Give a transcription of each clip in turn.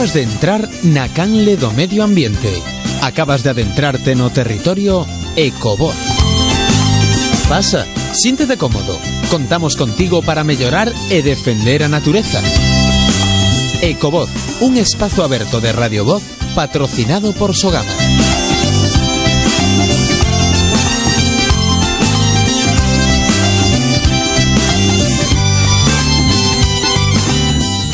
Acabas de entrar na canle do medio ambiente. Acabas de adentrarte no territorio Ecovoz. Pasa, siéntete cómodo. Contamos contigo para mellorar e defender a natureza. Ecovoz, un espazo aberto de Radio Voz patrocinado por Sogama.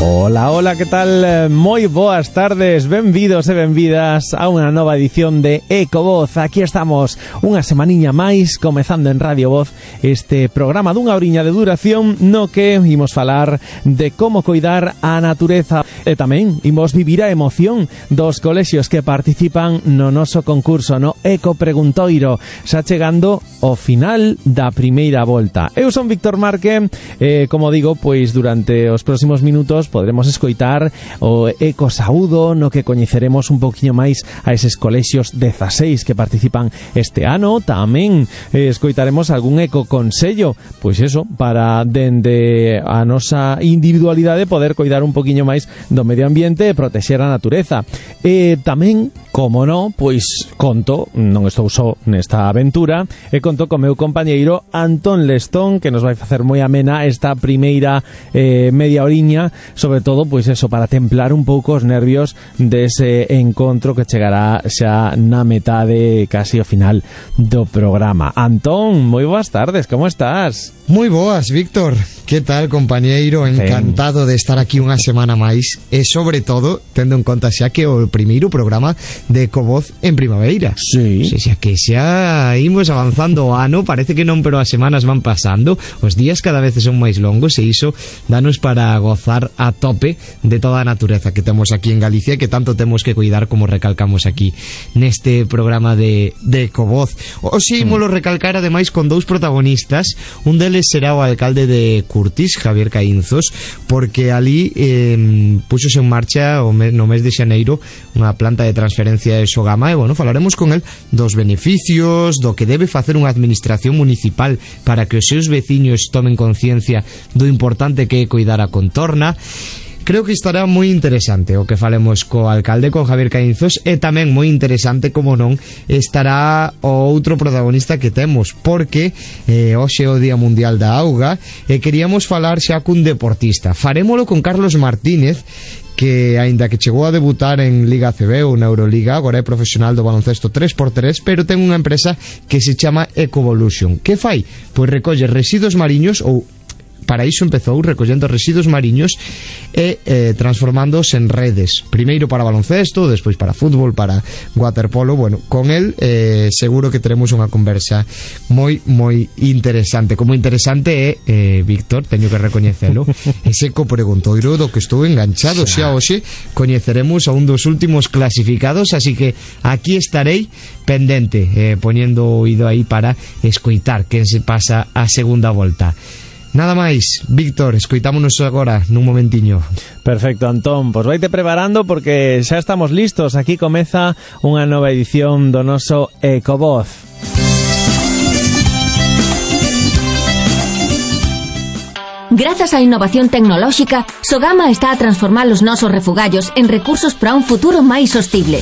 Hola, hola, que tal? Moi boas tardes, benvidos e benvidas a unha nova edición de Ecovoz. Aquí estamos, unha semaniña máis, comezando en Radio Voz este programa dunha horiña de duración no que imos falar de como coidar a natureza e tamén imos vivir a emoción dos colexios que participan no noso concurso, no Eco Preguntoiro, xa chegando ao final da primeira volta. Eu son Víctor Marque e, como digo, pois durante os próximos minutos podremos escoitar o Eco Saúdo, no que coñeceremos un poquinho máis a eses colexios 16 que participan este ano. Tamén escoitaremos algún Eco Consello, pois eso, para dende a nosa individualidade poder coidar un poquinho máis do medio ambiente e protexer a natureza. E tamén, como non, pois conto, non estou só nesta aventura, e conto co meu compañeiro Antón Lestón, que nos vai facer moi amena esta primeira media horiña, sobre todo, pois eso, para templar un pouco os nervios dese encontro que chegará xa na metade, casi ao final do programa. Antón, moi boas tardes, como estás? Moi boas, Víctor. Que tal, compañeiro? Encantado de estar aquí unha semana máis e, sobre todo, tendo en conta xa que o primeiro programa de Ecovoz en primavera. Sí. Xa que xa imos avanzando o ano, parece que non, pero as semanas van pasando, os días cada vez son máis longos e iso danos para gozar a tope de toda a natureza que temos aquí en Galicia e que tanto temos que cuidar, como recalcamos aquí neste programa de Ecovoz. Hoxe ímolo recalcar ademais con dous protagonistas. Un deles será o alcalde de Curtis, Javier Caínzos, porque ali puxose en marcha no mes de xaneiro unha planta de transferencia de Sogama e, bueno, falaremos con el dos beneficios, do que debe facer unha administración municipal para que os seus veciños tomen conciencia do importante que é coidar a contorna. Creo que estará moi interesante o que falemos co alcalde, con Javier Caínzos, e tamén moi interesante, como non, estará o outro protagonista que temos, porque hoxe é o Día Mundial da Auga e queríamos falar xa cun deportista. Farémolo con Carlos Martínez, que aínda que chegou a debutar en Liga ACB ou na Euroliga, agora é profesional do baloncesto 3x3, pero ten unha empresa que se chama Ecovolution. Que fai? Pois recolle residuos mariños, ou para iso empezou recollendo residuos mariños e transformándoos en redes, primeiro para baloncesto, despois para fútbol, para waterpolo. Bueno, con el seguro que teremos unha conversa moi interesante. Como interesante é, Víctor, teño que recoñecelo, ese Eco Preguntoiro do que estou enganchado. Xa hoxe coñeceremos a un dos últimos clasificados, así que aquí estarei pendente, poñendo o oído aí para escoitar quen se pasa a segunda volta. Nada máis, Víctor, escoitámonos agora nun momentiño. Perfecto, Antón, pois vaite preparando porque xa estamos listos. Aquí comeza unha nova edición do noso Ecovoz. Grazas á innovación tecnolóxica, Sogama está a transformar os nosos refugallos en recursos para un futuro máis sostible.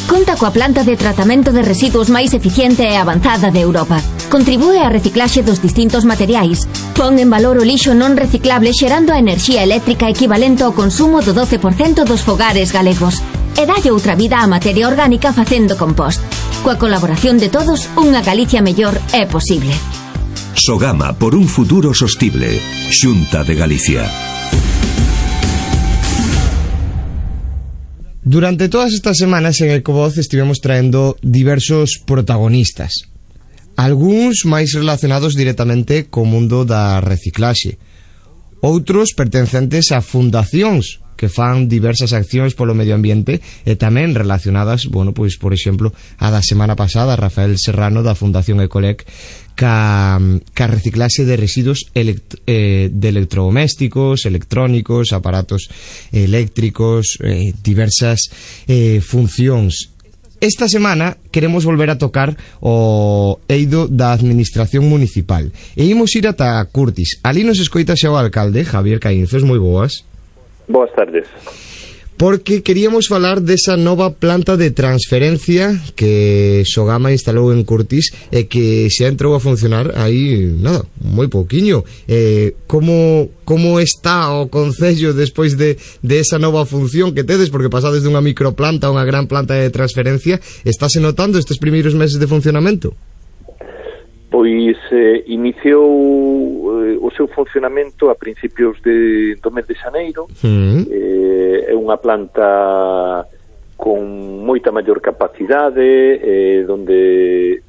Conta coa planta de tratamento de residuos máis eficiente e avanzada de Europa. Contribúe á reciclaxe dos distintos materiais. Pon en valor o lixo non reciclable xerando a enerxía eléctrica equivalente ao consumo do 12% dos fogares galegos. E dalle outra vida á materia orgánica facendo compost. Coa colaboración de todos, unha Galicia mellor é posible. Sogama, por un futuro sostible. Xunta de Galicia. Durante todas estas semanas en Ecovoz estivemos traendo diversos protagonistas, algúns máis relacionados directamente co mundo da reciclaxe, outros pertencentes a fundacións que fan diversas accións polo medio ambiente e tamén relacionadas, bueno, pois por exemplo, a da semana pasada, Rafael Serrano da Fundación Ecolec, ca reciclaxe de residuos de electrodomésticos, electrónicos, aparatos eléctricos, diversas funcións. Esta semana queremos volver a tocar o eido da administración municipal e imos ir ata Curtis. Ali nos escoita xa o alcalde, Javier Caínzos. Moi boas. Boas tardes. porque queríamos falar desa nova planta de transferencia que Sogama instalou en Curtis e que xa entrou a funcionar aí, nada, moi pouquiño. Como está o concello despois de esa nova función que tedes, porque pasades dunha microplanta a unha gran planta de transferencia? Estáse notando estes primeiros meses de funcionamento? Pois iniciou o seu funcionamento a principios do mes de xaneiro. É unha planta con moita maior capacidade, donde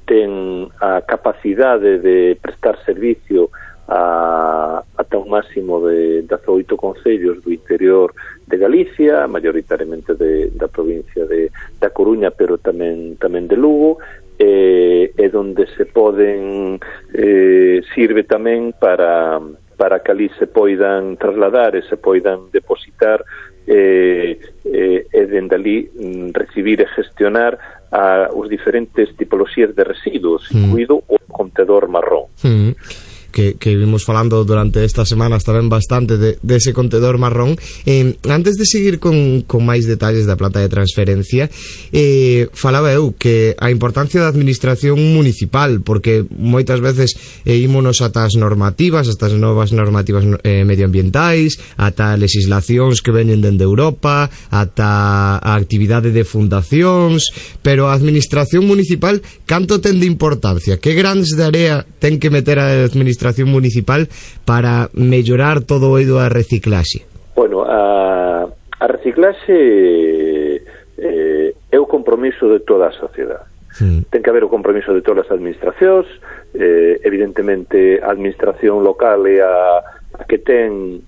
ten a capacidade de prestar servicio ata un máximo de 18 concellos do interior de Galicia, maioritariamente da provincia da Coruña, pero tamén de Lugo, e donde se poden sirve tamén para que ali se poidan trasladar e se poidan depositar e dende ali recibir e gestionar os diferentes tipoloxías de residuos, incluído o contedor marrón. Que vimos falando durante estas semanas tamén bastante dese contedor marrón. Antes de seguir con máis detalles da planta de transferencia, falaba eu que a importancia da administración municipal, porque moitas veces ímonos ata as normativas, ata as novas normativas medioambientais, ata legislacións que veñen dende Europa, ata a actividade de fundacións, pero a administración municipal canto ten de importancia? Que grans de area ten que meter a administración municipal para mellorar todo o eido a reciclaxe? Bueno, a reciclaxe é o compromiso de toda a sociedade. Ten que haber o compromiso de todas as administracións. Evidentemente a administración local é a que ten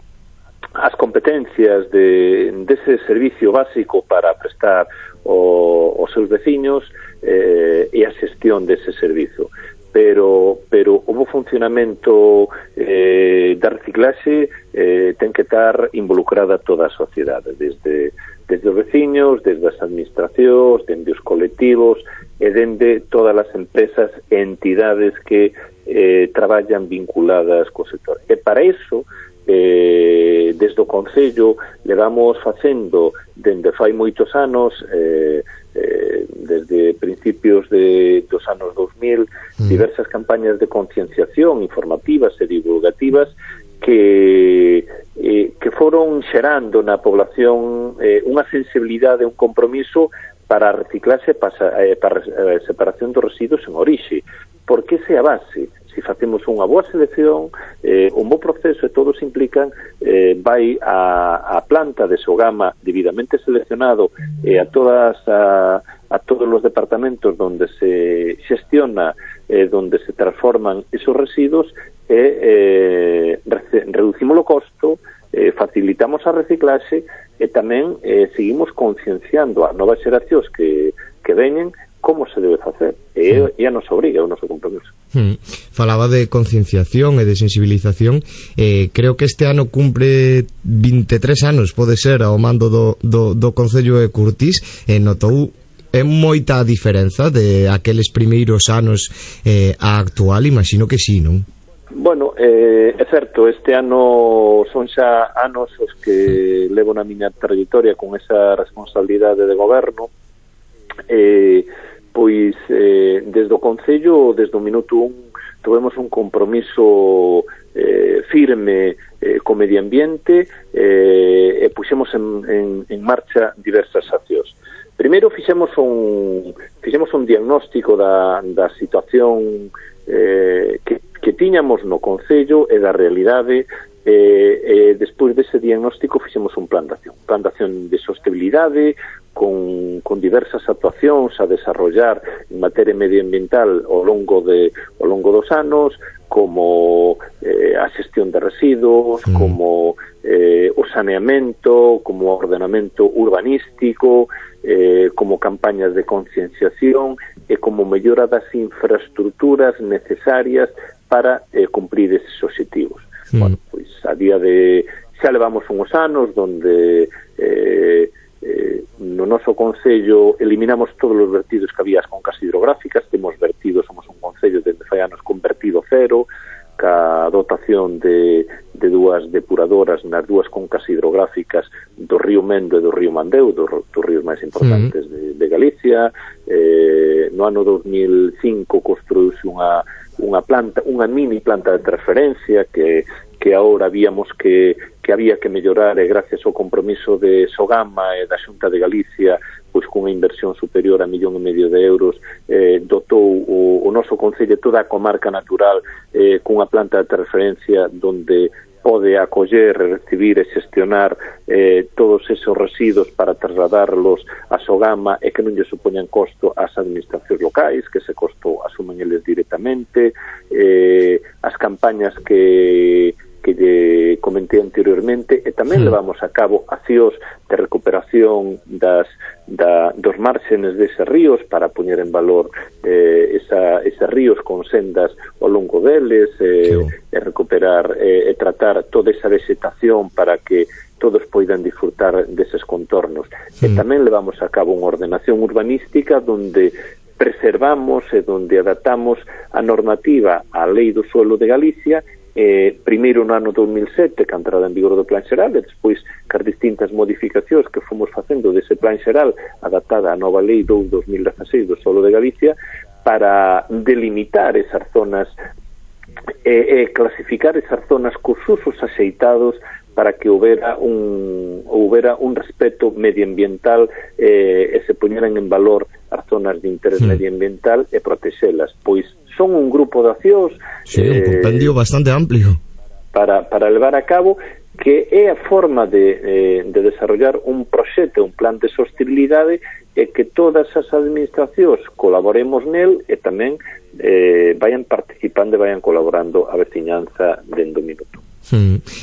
as competencias dese servicio básico para prestar aos seus veciños e a xestión dese servizo. Pero o bo funcionamento da reciclaxe ten que estar involucrada toda a sociedade, desde os veciños, desde as administracións, desde os colectivos e dende todas as empresas e entidades que traballan vinculadas co sector. E para iso, desde o Concello levamos facendo dende fai moitos anos, desde principios dos anos 2000, diversas campañas de concienciación informativas e divulgativas que foron xerando na población unha sensibilidade, un compromiso para a reciclaxe, para a separación dos residuos en orixe, porque esa é a base. Se facemos unha boa selección, un bo proceso e todos implican, vai a planta de Sogama debidamente seleccionado e a todos os departamentos donde se xestiona, donde se transforman esos residuos, e reducimos o costo, facilitamos a reciclaxe e tamén seguimos concienciando a novas xeracións que veñen como se debe facer, e a nos obriga, o noso compromiso. Falaba de concienciación e de sensibilización. Creo que este ano cumpre 23 anos, pode ser, ao mando do Concello de Curtis. Notou moita diferenza de aqueles primeiros anos a actual? Imagino que sí, non? Bueno, é certo, este ano son xa anos os que levo na miña trayectoria con esa responsabilidade de goberno. Pois desde o Concello, desde o minuto 1, tivemos un compromiso firme co medio ambiente e puxemos en marcha diversas accións. Primeiro fixemos un diagnóstico da situación que tiñamos no Concello e da realidade, e despois dese diagnóstico fixemos un plan de acción de sostenibilidade con diversas actuacións a desarrollar en materia medioambiental ao longo dos anos, como a xestión de residuos, como o saneamento, como ordenamento urbanístico, como campañas de concienciación e como mellora das infraestructuras necesarias para cumprir eses obxectivos. Bueno, pois a día de xa levamos uns anos donde no noso Concello eliminamos todos os vertidos que había as concas hidrográficas. Temos vertidos, somos un Concello desde fai anos con vertido cero, ca dotación de dúas depuradoras nas dúas concas hidrográficas do río Mendo e do río Mandeo, dos ríos máis importantes de Galicia. No ano 2005 construíuse unha mini planta de transferencia que agora víamos que había que mellorar, e gracias ao compromiso de Sogama e da Xunta de Galicia, pois cunha inversión superior a 1,5 millón de euros, dotou o noso concello, toda a comarca natural, cunha planta de transferencia donde pode acoller, recibir e xestionar todos esos residuos para trasladarlos a Sogama e que non lle supoñan costo ás administracións locais, que ese costo asumen eles directamente. As campañas que lle comentei anteriormente, e tamén levamos a cabo accións de recuperación dos márgenes deses ríos para poñer en valor eses ríos con sendas ao longo deles, e recuperar e tratar toda esa vegetación para que todos poidan disfrutar deses contornos. E tamén levamos a cabo unha ordenación urbanística donde preservamos e donde adaptamos a normativa á Lei do Suelo de Galicia, primeiro no ano 2007, que a entrada en vigor do Plan Xeral, e despois cas distintas modificacións que fomos facendo dese Plan Xeral adaptada á nova Lei 2/2016 do Suelo de Galicia, para delimitar esas zonas e clasificar esas zonas cos usos axeitados para que houbera un respeto medioambiental e se poñeran en valor as zonas de interés medioambiental e protexelas. Pois son un grupo de accións, un compendio bastante amplio para levar a cabo, que é a forma de desarrollar un proxecto, un plan de sostenibilidade, e que todas as administracións colaboremos nel e tamén vayan participando e vayan colaborando a veciñanza dentro do minuto.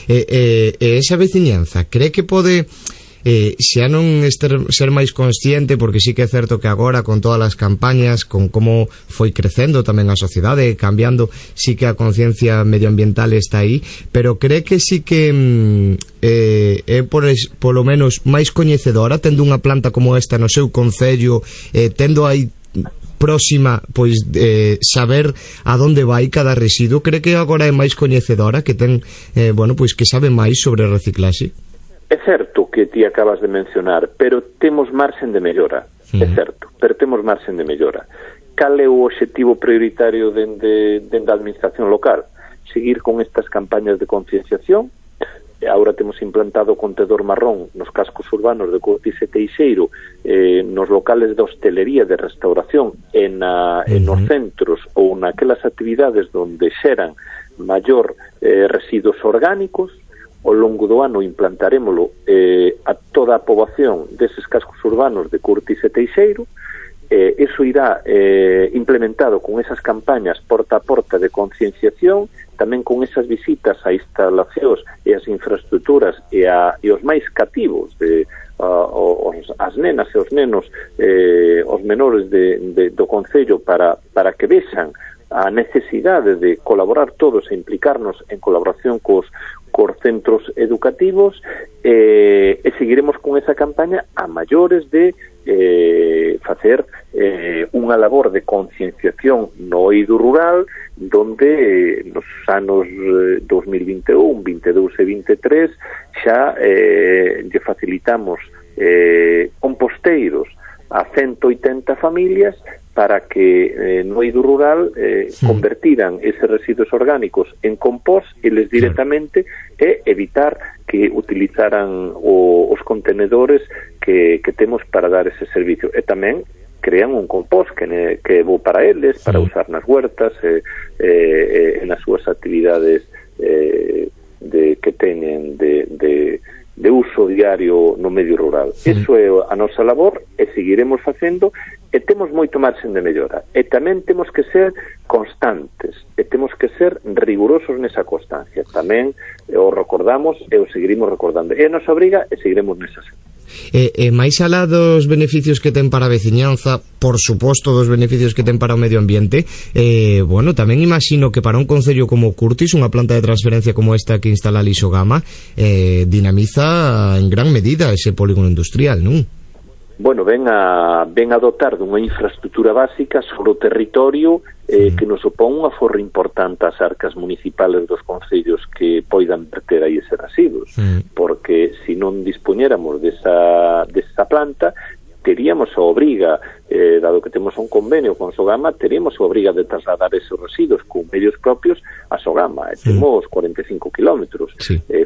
Esa veciñanza, cree que pode xa non ser máis consciente, porque sí que é certo que agora con todas as campañas, con como foi crecendo tamén a sociedade, cambiando, sí que a conciencia medioambiental está aí, pero cree que sí que é polo menos máis coñecedora, tendo unha planta como esta no seu concello, tendo aí próxima, pois saber a donde vai cada residuo. Cree que agora é máis coñecedora, que ten pois que sabe máis sobre reciclaxe? É certo que ti acabas de mencionar, pero temos marxen de mellora. É certo, pero temos marxen de mellora. Cal é o obxectivo prioritario dende a administración local? Seguir con estas campañas de concienciación. Agora temos implantado o contedor marrón nos cascos urbanos de Curtis e Teixeiro, nos locales de hostelería, de restauración, nos centros ou naquelas actividades donde xeran maior residuos orgánicos. Ao longo do ano implantarémolo a toda a poboación deses cascos urbanos de Curtis e Teixeiro. Eso irá implementado con esas campañas porta a porta de concienciación, tamén con esas visitas a instalacións e as infraestructuras e os máis cativos, as nenas e os nenos, os menores do concello, para que vexan a necesidade de colaborar todos e implicarnos en colaboración cos centros educativos, e seguiremos con esa campaña a maiores de facer unha labor de concienciación no eido rural, donde nos anos 2021, 22 e 23 xa lle facilitamos composteiros a 180 familias para que no eido rural convertiran eses residuos orgánicos en compost eles directamente, e evitar que utilizaran os contenedores que temos para dar ese servicio. E tamén crean un compost que é bo para eles, para usar nas huertas e nas súas actividades que teñen de uso diario no medio rural. Eso é a nosa labor, e seguiremos facendo, e temos moito marxen de mellora, e tamén temos que ser constantes, e temos que ser rigurosos nesa constancia. Tamén o recordamos e o seguiremos recordando, e a nosa obriga, e seguiremos nesa. máis alá dos beneficios que ten para a veciñanza, por suposto dos beneficios que ten para o medio ambiente, tamén imagino que para un concello como Curtis, unha planta de transferencia como esta que instala Lixogama, dinamiza en gran medida ese polígono industrial, non? ven a dotar dunha infraestructura básica sobre o territorio que nos opón un aforro importante ás arcas municipales dos concellos que poidan verter aí ese residuos, porque se non dispoñéramos desa planta, teríamos a obriga, dado que temos un convenio con Sogama, teríamos a obriga de trasladar esos residuos con medios propios a Sogama. Temos 45 kilómetros.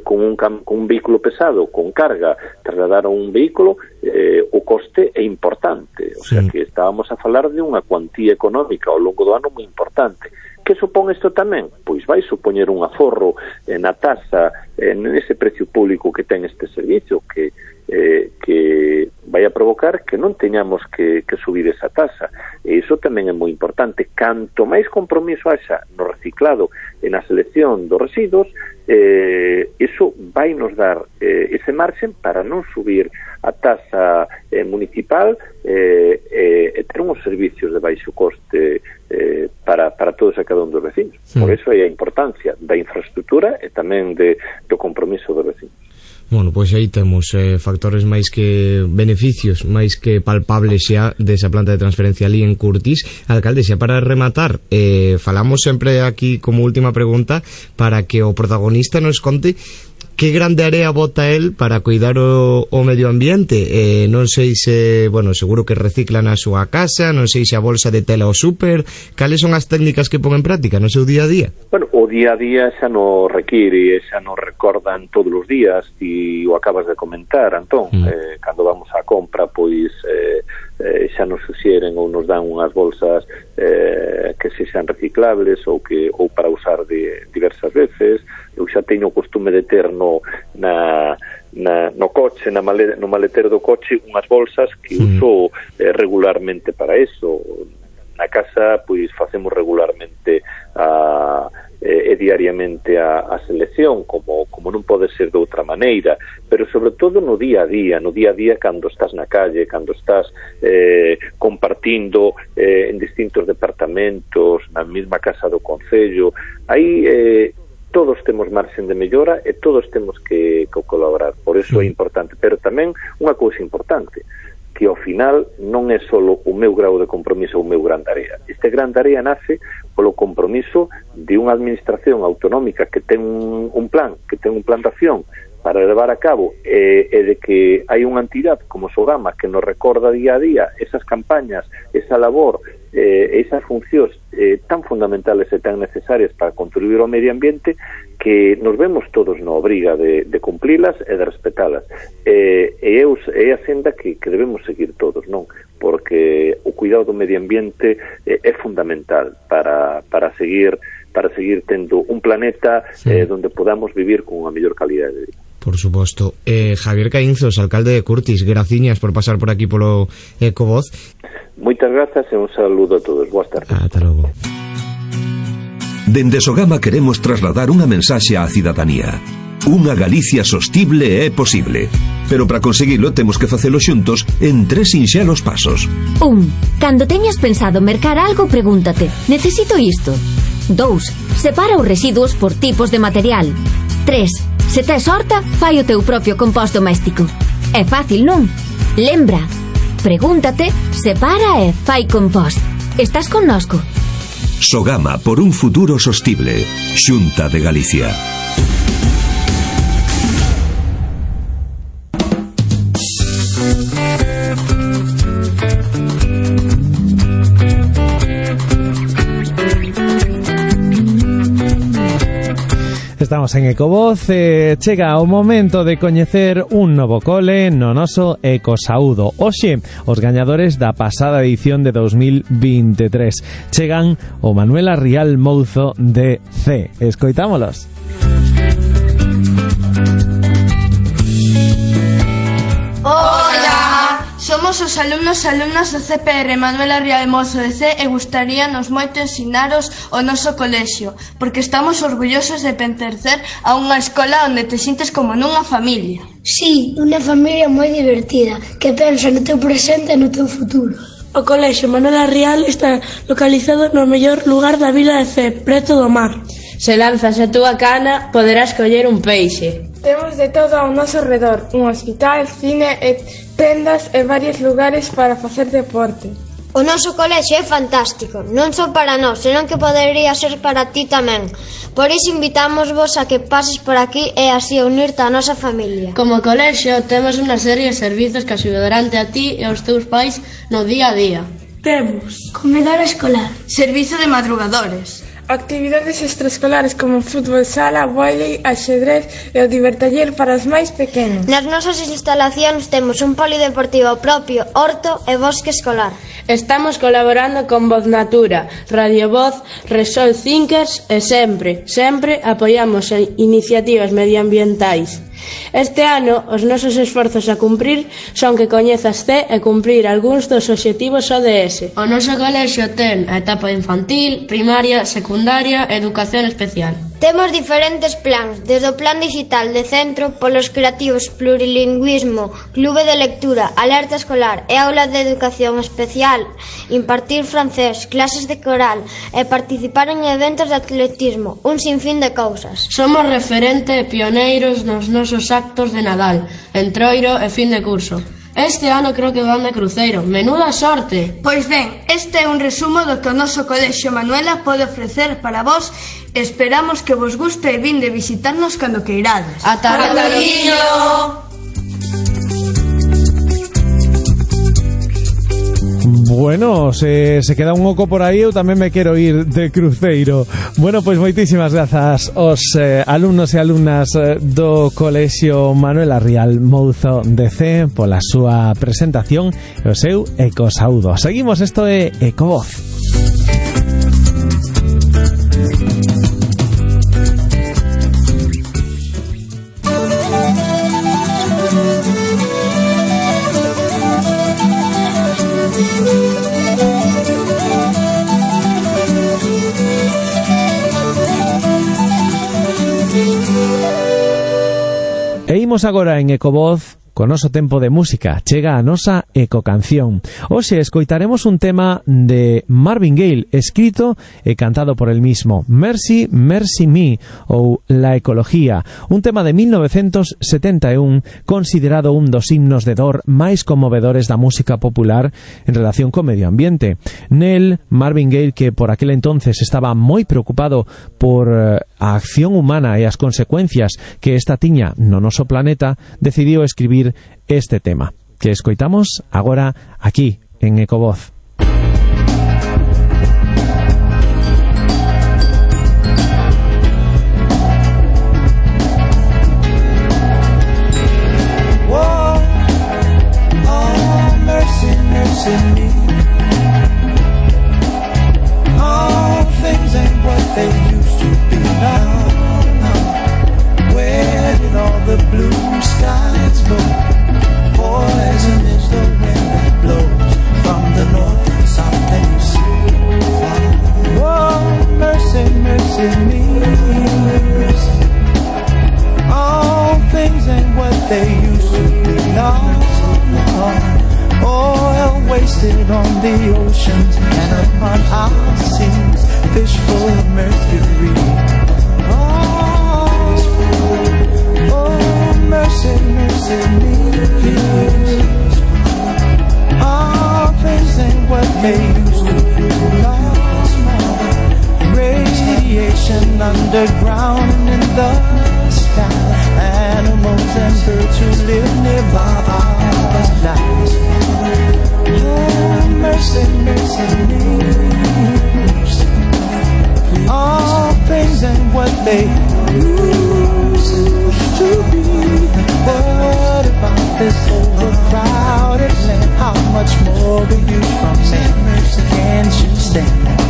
Con un vehículo pesado, con carga, trasladar a un vehículo, o coste é importante. O sea que estábamos a falar de unha cuantía económica ao longo do ano moi importante. Que supón isto tamén? Pois vai supoñer un aforro na tasa, nese precio público que ten este servicio, que vai a provocar que non teñamos que subir esa tasa. E iso tamén é moi importante. Canto máis compromiso haxa no reciclado e na selección dos residuos, iso vai nos dar ese marxen para non subir a tasa municipal e ter uns servicios de baixo coste para todos e cada un dos vecinos. Por iso é a importancia da infraestructura e tamén do compromiso dos vecinos. Bueno, pois aí temos factores máis que beneficios, máis que palpables xa desa planta de transferencia ali en Curtis. Alcalde, xa para rematar, falamos sempre aquí como última pregunta para que o protagonista nos conte que grande area bota el para cuidar o medio ambiente. Non sei se, seguro que reciclan a súa casa, non sei se a bolsa de tela ao súper. Cales son as técnicas que pon en práctica no seu día a día? O día a día xa non require, xa non recordan todos os días, e o acabas de comentar, Antón. Cando vamos á compra, pois xa nos suxeren ou nos dan unhas bolsas que sexan reciclables ou para usar diversas veces. Eu xa teño o costume de ter no coche, no maletero do coche, unhas bolsas que uso regularmente para eso. Na casa, pois, facemos regularmente e diariamente a selección, como non pode ser de outra maneira, pero sobre todo no día a día, cando estás na calle, cando estás compartindo en distintos departamentos, na mesma casa do concello, aí todos temos marxen de mellora e todos temos que colaborar. Por iso é importante, pero tamén unha cousa importante, que ao final non é só o meu grau de compromiso ou o meu gran tarea. Este gran tarea nace polo compromiso de unha administración autonómica que ten un plan de acción para levar a cabo e de que hai unha entidade como Sogama que nos recorda día a día esas campañas, esa labor, esas funcións tan fundamentales e tan necesarias para contribuir ao medio ambiente, que nos vemos todos na obriga de cumplilas e de respetalas. É a senda que debemos seguir todos, non? Porque o cuidado do medio ambiente é fundamental para seguir tendo un planeta donde podamos vivir con unha mellor calidade de vida. Por suposto. Javier Caínzos, alcalde de Curtis, graciñas por pasar por aquí polo Ecovoz. Moitas grazas e un saludo a todos. Boas tardes. Ata logo. Dende Sogama queremos trasladar unha mensaxe á cidadanía. Unha Galicia sostible é posible, pero para conseguilo temos que facelo xuntos en 3 sinxelos pasos. 1. Cando teñas pensado mercar algo, pregúntate: necesito isto? 2. Separa os residuos por tipos de material. 3. Se tes horta, fai o teu propio compost doméstico. É fácil, non? Lembra, pregúntate, separa e fai compost. Estás connosco? Sogama, por un futuro sostible. Xunta de Galicia. Estamos en Ecovoz, chega o momento de coñecer un novo cole no noso Ecosaudo. Hoxe, os gañadores da pasada edición de 2023 chegan o Manuela Rial Mouzo de C. Escoitámolos. Somos os alumnos e alumnas do CPR Manuela Rial Mouzo de C e gustaríanos moito ensinaros o noso colexio, porque estamos orgullosos de pertencer a unha escola onde te sintes como nunha familia. Sí, unha familia moi divertida, que pensa no teu presente e no teu futuro. O colexio Manuela Rial está localizado no mellor lugar da vila de C, preto do mar. Se lanzas a túa cana, poderás coller un peixe. Temos de todo ao noso redor, un hospital, cine e tendas e varios lugares para facer deporte. O noso colexio é fantástico, non só para nós, senón que podería ser para ti tamén. Por iso invitamos vos a que pases por aquí e así unirte á nosa familia. Como colexio, temos unha serie de servizos que axudarán a ti e aos teus pais no día a día. Temos comedor escolar, servizo de madrugadores, actividades extraescolares como fútbol sala, vólei, axedrez e o divertaller para os máis pequenos. Nas nosas instalacións temos un polideportivo propio, horto e bosque escolar. Estamos colaborando con Voz Natura, Radio Voz, Resol Thinkers e sempre apoiamos iniciativas medioambientais. Este ano, os nosos esforzos a cumprir son que coñezas e cumprir algúns dos obxectivos ODS. O noso colexio ten a etapa infantil, primaria, secundaria e educación especial. Temos diferentes plans, desde o plan digital de centro, polos creativos, plurilingüismo, clube de lectura, alerta escolar e aula de educación especial, impartir francés, clases de coral e participar en eventos de atletismo, un sinfín de cousas. Somos referente e pioneiros nos nosos actos de Nadal, entroiro e fin de curso. Este ano creo que van de cruceiro. Menuda sorte! Pois ben, este é un resumo do que o noso colexio Manuela pode ofrecer para vos. Esperamos que vos guste e vinde visitarnos cando queirades. Ata cariño! Bueno, se queda un oco por aí, eu tamén me quero ir de cruceiro. Bueno, pois moitísimas grazas aos alumnos e alumnas do Colexio Manuela Rial Mouzo de C pola súa presentación e o seu ecosaudo. Seguimos, isto é Ecovoz. E imos agora en Ecovoz co noso tempo de música. Chega a nosa ecocanción. Hoxe escoitaremos un tema de Marvin Gaye, escrito e cantado por el mismo, Mercy, Mercy Me, ou La Ecología, un tema de 1971 considerado un dos himnos de dor máis conmovedores da música popular en relación co medio ambiente. Nel, Marvin Gaye, que por aquel entonces estaba moi preocupado por a acción humana e as consecuencias que esta tiña no noso planeta, decidiu escribir este tema, que escoitamos agora aquí en Ecovoz. Poison is the wind that blows from the north and south and east. Oh, mercy, mercy me. All things ain't what they used to be. No, no. Oil wasted on the oceans and upon our seas. Fish full of mercury. Mercy, mercy me. All things ain't what they used to be. Radiation underground and in the sky. Animals and birds who live nearby our lives. Oh, mercy, mercy me. All things ain't what they used to be. What about this overcrowded land? How much more will you from me? Can't you stand that?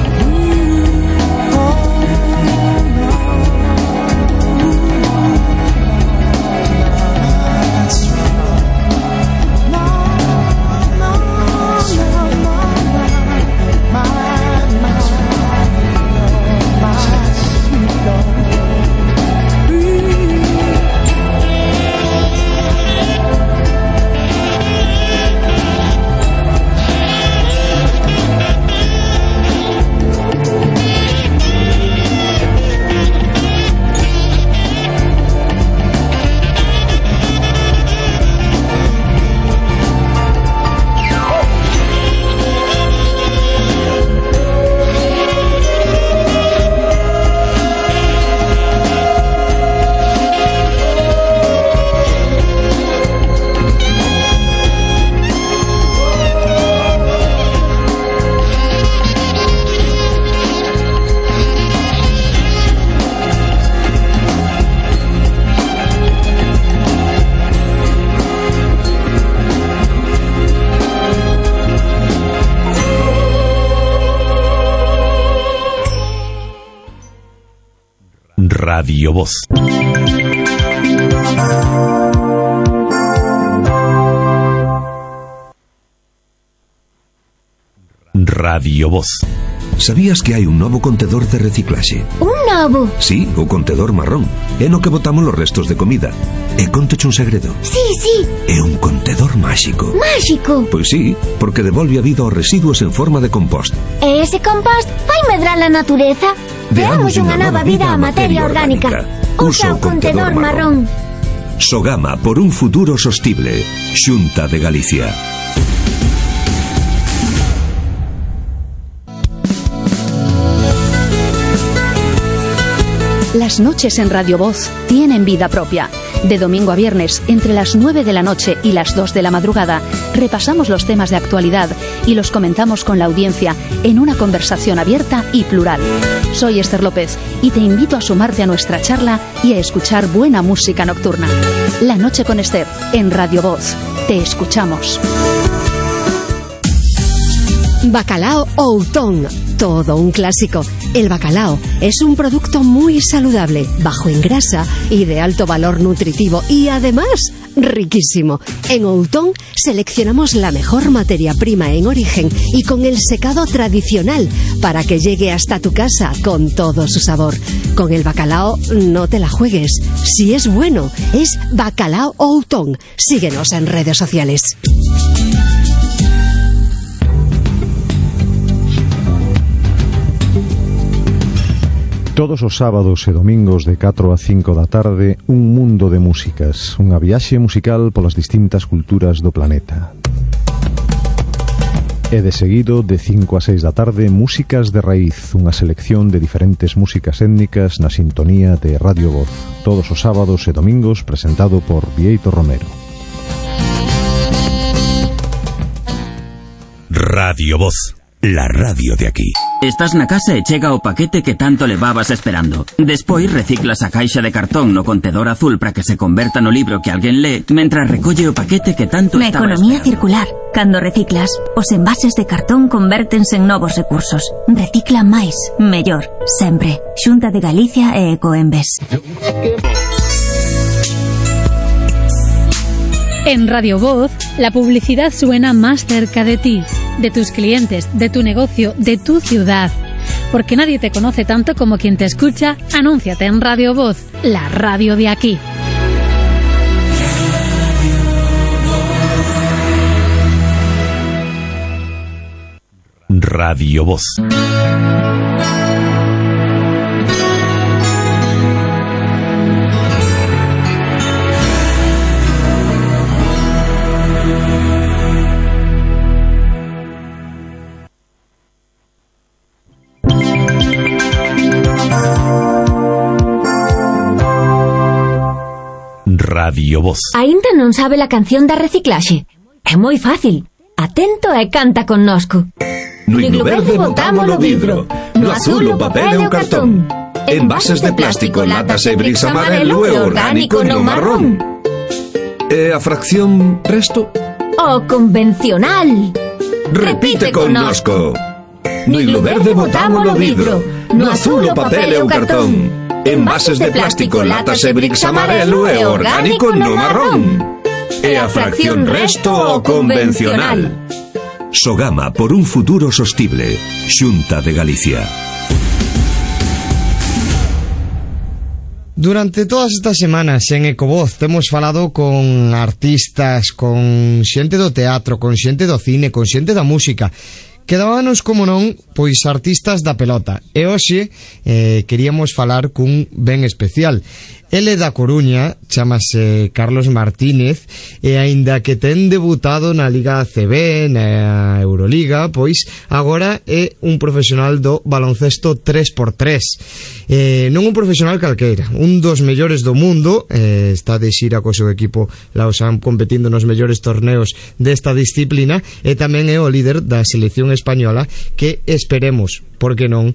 Radio Voz. Radio Voz. Sabías que hai un novo contedor de reciclaxe? Un novo? Sí, o contedor marrón. É no que botamos os restos de comida. E contoche un segredo. Sí, sí. É un contedor máxico. Máxico? Pois sí, porque devolve a vida aos residuos en forma de compost. E ese compost vai medrar a natureza? Deamos unha nova vida á materia orgánica. Usa o contedor marrón. Sogama por un futuro sostible. Xunta de Galicia. Las noches en Radio Voz tienen vida propia. De domingo a viernes, entre las 9 de la noche y las 2 de la madrugada, repasamos los temas de actualidad y los comentamos con la audiencia en una conversación abierta y plural. Soy Esther López y te invito a sumarte a nuestra charla y a escuchar buena música nocturna. La noche con Esther, en Radio Voz. Te escuchamos. Bacalao Outón, todo un clásico. El bacalao es un producto muy saludable, bajo en grasa y de alto valor nutritivo y además riquísimo. En Outón seleccionamos la mejor materia prima en origen y con el secado tradicional para que llegue hasta tu casa con todo su sabor. Con el bacalao no te la juegues. Si es bueno, es Bacalao Outón. Síguenos en redes sociales. Todos os sábados e domingos de 4 a 5 da tarde, un mundo de músicas, unha viaxe musical polas distintas culturas do planeta. E de seguido, de 5 a 6 da tarde, Músicas de Raíz, unha selección de diferentes músicas étnicas na sintonía de Radio Voz. Todos os sábados e domingos, presentado por Vieito Romero. Radio Voz, la radio de aquí. Estás na casa e chega o paquete que tanto levabas esperando. Despois reciclas a caixa de cartón no contedor azul para que se converta no libro que alguén lee, mentras recolle o paquete que tanto Na estaba economía esperando. circular, cando reciclas, os envases de cartón convértense en novos recursos. Recicla máis, mellor, sempre. Xunta de Galicia e Ecoembes. En Radio Voz, la publicidad suena más cerca de ti, de tus clientes, de tu negocio, de tu ciudad. Porque nadie te conoce tanto como quien te escucha, anúnciate en Radio Voz, la radio de aquí. Radio Voz. Radio Voz. Aínda non sabe a canción da reciclaxe? É moi fácil. Atento e canta connosco. No himno verde botámolo vidro, no azul o papel e o cartón. Envases de plástico, latas e bricks amarelo e orgánico no marrón. E a fracción resto? O convencional. Repite connosco. No himno verde botámolo vidro, no azul o papel e o cartón. Envases de plástico, latas e bricks amarelo e orgánico no marrón. E a fracción resto o convencional. Sogama por un futuro sostible. Xunta de Galicia. Durante todas estas semanas en Ecovoz temos falado con artistas, con xente do teatro, con xente do cine, con xente da música. Quedábanos, como non, pois artistas da pelota. E hoxe queríamos falar cun ben especial. Ele da Coruña, chamase Carlos Martínez, e aínda que ten debutado na Liga ACB, na Euroliga, pois agora é un profesional do baloncesto 3x3. Non un profesional calqueira, un dos mellores do mundo, está de xira co seu equipo Lausanne competindo nos mellores torneos desta disciplina, e tamén é o líder da selección española que esperemos, porque non,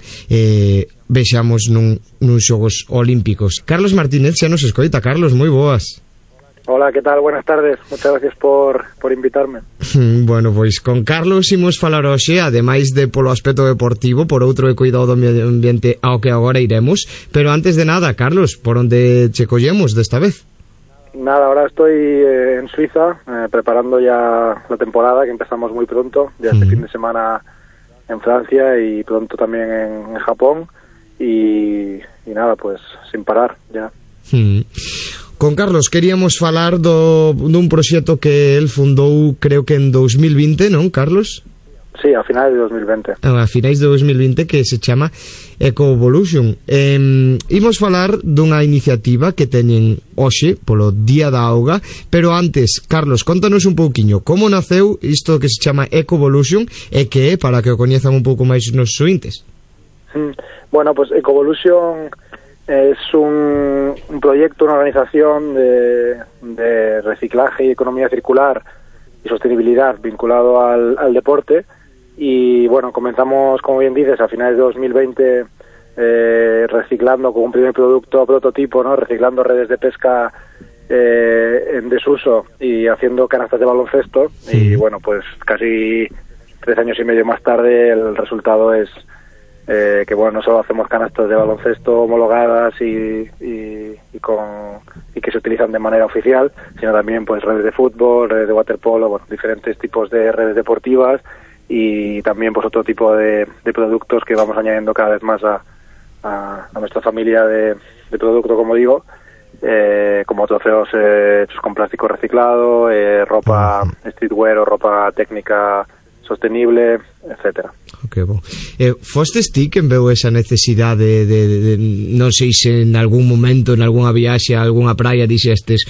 vexamos nun xogos olímpicos. Carlos Martínez xa nos escoita. Carlos, moi boas. Hola, ¿qué tal? Buenas tardes. Muchas gracias por invitarme. Bueno, pois con Carlos imos falar hoxe, ademais de polo aspecto deportivo, por outro de cuidado do medio ambiente ao que agora iremos. Pero antes de nada, Carlos, por onde che collemos desta vez? Nada, ahora estoy en Suiza, preparando ya la temporada, que empezamos muy pronto, ya este fin de semana en Francia y pronto también en Japón. Y nada, pues sin parar ya. Con Carlos queríamos falar dun proxecto que él fundou, creo que en 2020, non, Carlos? Sí, a finais de 2020. A finais de 2020, que se chama Ecovolution. Imos falar dunha iniciativa que teñen hoxe polo Día da Auga, pero antes, Carlos, contanos un pouquiño como naceu isto que se chama Ecovolution e que é, para que o coñezan un pouco máis nos ointes. Bueno, pues Ecovolution es un proyecto, una organización de reciclaje y economía circular y sostenibilidad vinculado al deporte. Y bueno, comenzamos, como bien dices, a finales de 2020 reciclando con un primer producto prototipo, ¿no? Reciclando redes de pesca en desuso y haciendo canastas de baloncesto. Y bueno, pues casi 3 años y medio más tarde el resultado es que bueno, no solo hacemos canastas de baloncesto homologadas y que se utilizan de manera oficial, sino también pues redes de fútbol, redes de waterpolo, bueno, diferentes tipos de redes deportivas y también pues otro tipo de productos que vamos añadiendo cada vez más a nuestra familia de producto, como digo, como trofeos hechos con plástico reciclado, ropa streetwear o ropa técnica sostenible, etcétera. Que bon. Fostes ti quen veu esa necesidade de non sei se en algún momento, en algunha viaxe a algunha praia dixestes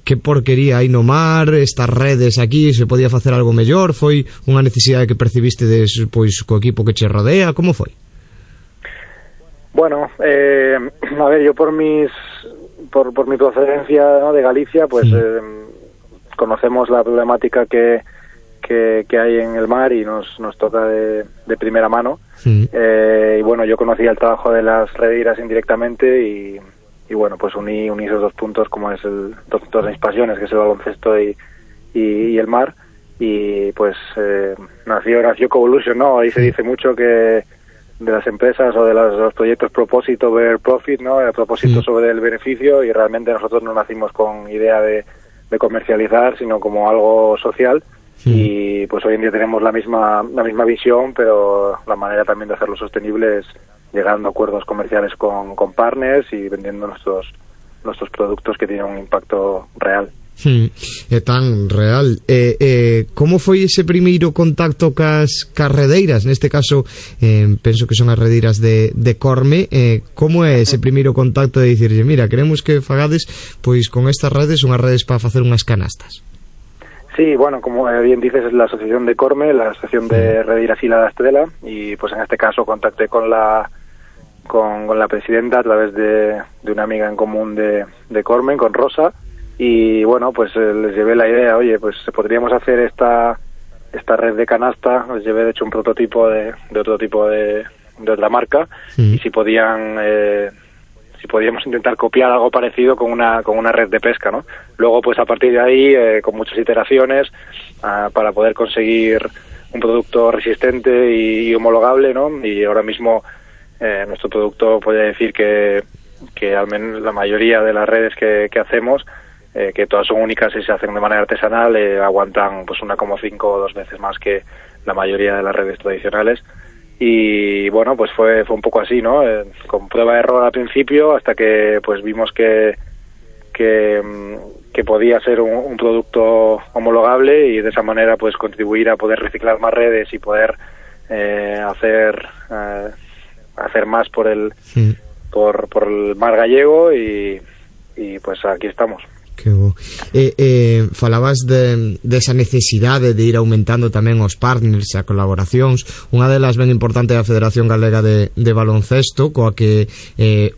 que porquería hai no mar, estas redes aquí, se podía facer algo mellor? Foi unha necesidade que percibiste pois co equipo que che rodea? Como foi? Bueno, a ver, yo por mi procedencia, ¿no?, de Galicia, pues conocemos la problemática que hay en el mar y nos toca de primera mano. Y bueno, yo conocía el trabajo de las redeiras indirectamente y bueno, pues uní esos 2 puntos, como es dos de mis pasiones, que es el baloncesto y el mar, y pues nació Ecovolution, ¿no? Ahí se dice mucho que de las empresas o de los proyectos propósito ver profit, ¿no? El propósito sobre el beneficio, y realmente nosotros no nacimos con idea de comercializar, sino como algo social. Y pues hoy en día tenemos la misma visión, pero la manera también de hacerlo sostenible es llegando a acuerdos comerciales con partners y vendiendo nuestros productos que tienen un impacto real. É tan real. Como foi ese primeiro contacto cas redeiras? Neste caso, penso que son as redeiras de Corme. Como é ese primeiro contacto de dicirlle, mira, queremos que fagades pois con estas redes unhas redes para facer unhas canastas? Sí, bueno, como bien dices, es la asociación de Corme, la asociación de redeiras Isla da Estrela, y pues en este caso contacté con la presidenta a través de una amiga en común de Corme, con Rosa, y bueno, pues les llevé la idea, oye, pues podríamos hacer esta red de canasta, les llevé de hecho un prototipo de otro tipo de otra marca, y si podíamos intentar copiar algo parecido con una red de pesca, ¿no? Luego, pues a partir de ahí, con muchas iteraciones, para poder conseguir un producto resistente y homologable, ¿no? Y ahora mismo nuestro producto puede decir que al menos la mayoría de las redes que hacemos, que todas son únicas y se hacen de manera artesanal, aguantan pues 1,5 o 2 veces más que la mayoría de las redes tradicionales. Y bueno, pues fue un poco así, ¿no? Con prueba de error al principio, hasta que pues vimos que podía ser un producto homologable, y de esa manera pues contribuir a poder reciclar más redes y poder hacer más por el mar gallego, y pues aquí estamos. Que bo. Falabas desa necesidade de ir aumentando tamén os partners e a colaboracións. Unha delas ben importante é a Federación Galega de Baloncesto, coa que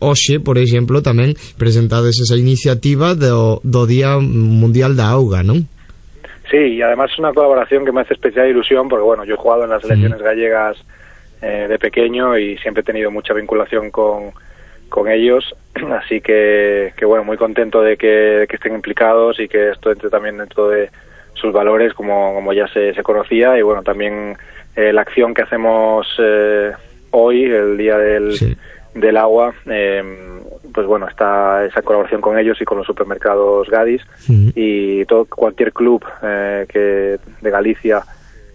hoxe, por exemplo, tamén presentades esa iniciativa do Día Mundial da Auga, ¿non? Sí, y además es una colaboración que me hace especial ilusión, porque bueno, yo he jugado en las selecciones gallegas de pequeño y siempre he tenido mucha vinculación con ellos, así que bueno, muy contento de que estén implicados y que esto entre también dentro de sus valores como ya se conocía. Y bueno, también la acción que hacemos hoy, el día del agua, pues bueno, está esa colaboración con ellos y con los supermercados Gadis, y cualquier club de Galicia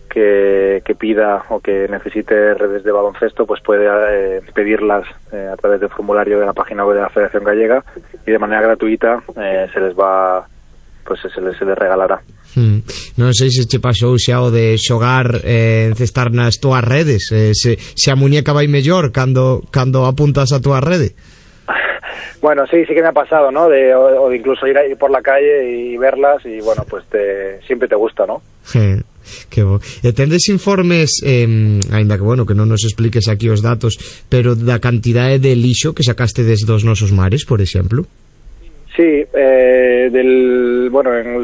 que pida o que necesite redes de baloncesto, pues puede pedirlas a través del formulario de la página web de la Federación Gallega, y de manera gratuita se les regalará. Non sei se che pasou xa o de xogar encestar nas túas redes, se a muñeca vai mellor cando apuntas a túa rede. Bueno, sí que me ha pasado, ¿no? O de incluso ir por la calle y verlas, y bueno, pues siempre te gusta, ¿no? Que bo. E tendes informes, aínda que bueno, que non nos expliques aquí os datos, pero da cantidade de lixo que sacaste desde os nosos mares, por exemplo? Sí, en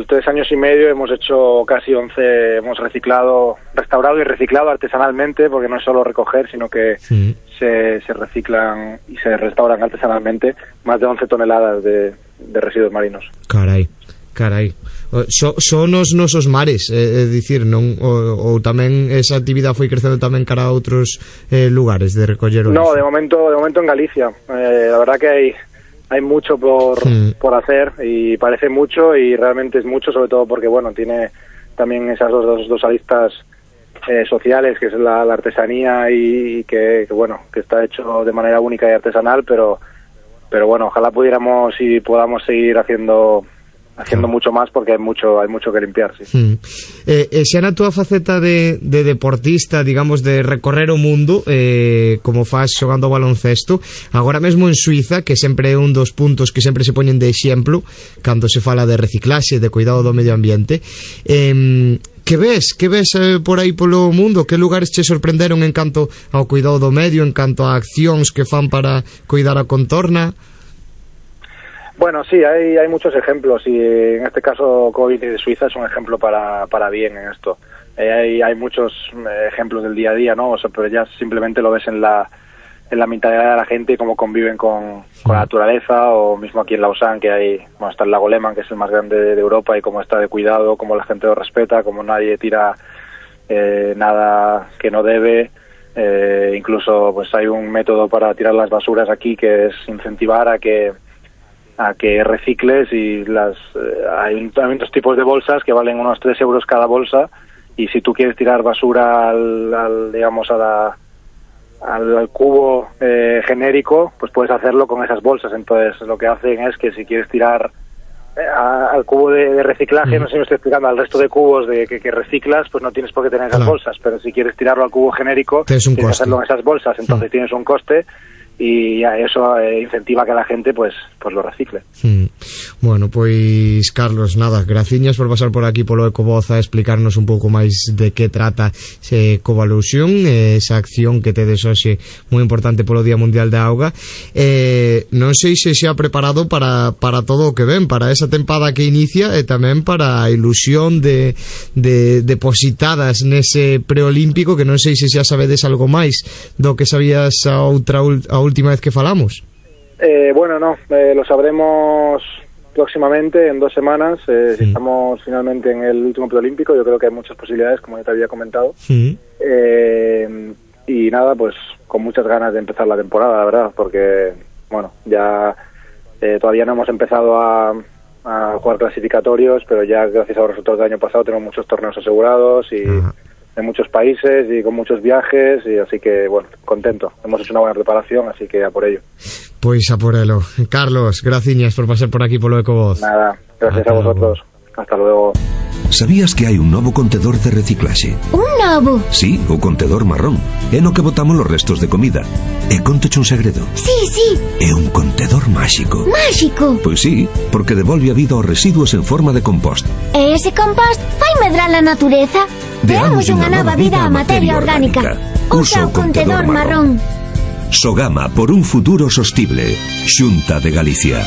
3 años y medio hemos hecho casi 11, hemos restaurado y reciclado artesanalmente, porque no es solo recoger, sino que se reciclan y se restauran artesanalmente más de 11 toneladas de residuos marinos. Carai. Son os nosos mares, é dicir, non ou tamén esa actividade foi crecendo tamén cara a outros lugares de recoller o lixo? No, de momento en Galicia. La verdad que hay mucho por hacer, y parece mucho, y realmente es mucho, sobre todo porque bueno, tiene también esas dos aristas sociales, que es la artesanía, y que bueno, que está hecho de manera única y artesanal, pero bueno, ojalá pudiéramos y podamos seguir haciendo mucho más, porque hay mucho que limpiar, sí. Xa na túa faceta de deportista, digamos, de recorrer o mundo, como faz xogando baloncesto, agora mesmo en Suiza, que sempre é un dos puntos que sempre se poñen de exemplo cando se fala de reciclaxe, de cuidado do medio ambiente, que ves por aí polo mundo? Que lugares che sorprenderon en canto ao cuidado do medio, en canto a accións que fan para cuidar a contorna? Bueno, sí, hay muchos ejemplos, y en este caso COVID de Suiza es un ejemplo para bien en esto. Hay muchos ejemplos del día a día, ¿no? O sea, pero ya simplemente lo ves en la mentalidad de la gente y cómo conviven con la naturaleza, o mismo aquí en Lausanne, que está el lago Lehmann, que es el más grande de Europa, y cómo está de cuidado, cómo la gente lo respeta, cómo nadie tira nada que no debe. Incluso pues hay un método para tirar las basuras aquí, que es incentivar a que recicles, y hay otros tipos de bolsas que valen unos 3 euros cada bolsa, y si tú quieres tirar basura al cubo genérico, pues puedes hacerlo con esas bolsas. Entonces lo que hacen es que si quieres tirar al cubo de reciclaje, no sé si me estoy explicando, al resto de cubos que reciclas, pues no tienes por qué tener esas bolsas, pero si quieres tirarlo al cubo genérico, tienes que hacerlo en esas bolsas, entonces tienes un coste, y eso incentiva que la gente pues lo recicle. Bueno, pois Carlos, nada, graciñas por pasar por aquí polo Ecovoz a explicarnos un pouco máis de que trata Ecovalusión, esa acción que tedes hoxe moi importante polo Día Mundial da Auga. Non sei se xa preparado para todo o que ven, para esa tempada que inicia, e tamén para a ilusión de depositadas nese preolímpico, que non sei se xa sabedes algo máis do que sabías a última vez que falamos. Bueno, no, lo sabremos próximamente, en 2 semanas. Si estamos finalmente en el último preolímpico, yo creo que hay muchas posibilidades, como ya te había comentado. Y nada, pues con muchas ganas de empezar la temporada, la verdad, porque bueno, ya todavía no hemos empezado a jugar clasificatorios, pero ya gracias a los resultados del año pasado tenemos muchos torneos asegurados, y en muchos países y con muchos viajes, y así que bueno, contento, hemos hecho una buena preparación, así que a por ello. Pois a por elo. Carlos, graciñas por pasar por aquí polo Ecovoz. Nada, gracias a vosotros. Hasta luego. Sabías que hai un novo contedor de reciclaxe? Un novo? Sí, o contedor marrón. É no que botamos os restos de comida. E contoche un segredo. Sí. É un contedor máxico. Máxico? Pois sí, porque devolve a vida aos residuos en forma de compost. E ese compost fai medrar a natureza? Deamos unha nova vida á materia orgánica. Usa o contedor marrón. Sogama, por un futuro sostible. Xunta de Galicia.